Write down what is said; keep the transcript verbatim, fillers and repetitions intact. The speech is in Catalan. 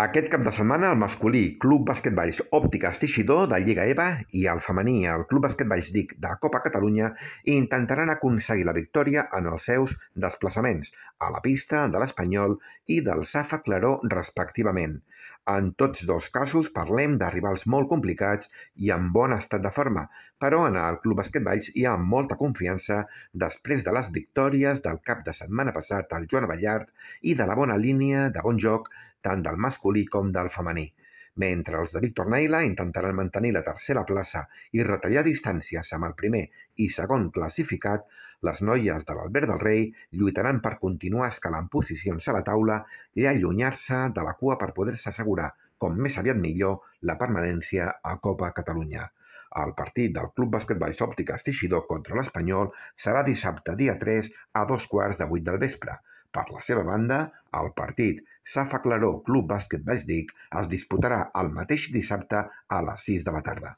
Aquest cap de setmana el masculí Club Basquetballs Òptiques Teixidor de Lliga EVA i el femení el Club Basquetballs DIC de Copa Catalunya intentaran aconseguir la victòria en els seus desplaçaments a la pista de l'Espanyol i del Safa Claró respectivament. En tots dos casos parlem de rivals molt complicats i en bon estat de forma, però en el Club Basquetballs hi ha molta confiança després de les victòries del cap de setmana passat al Joan Abellart i de la bona línia de bon joc tant del masculí com del femení. Mentre els de Víctor Naila intentaran mantenir la tercera plaça i retallar distàncies amb el primer i segon classificat, les noies de l'Albert del Rei lluitaran per continuar escalant posicions a la taula i allunyar-se de la cua per poder-se assegurar, com més aviat millor, la permanència a Copa Catalunya. El partit del Club Basquetballs Òptiques Teixidor contra l'Espanyol serà dissabte dia tres a dos quarts de vuit del vespre. Per la seva banda, el partit Safa Claró Club Basquetballs DIC es disputarà el mateix dissabte a les sis de la tarda.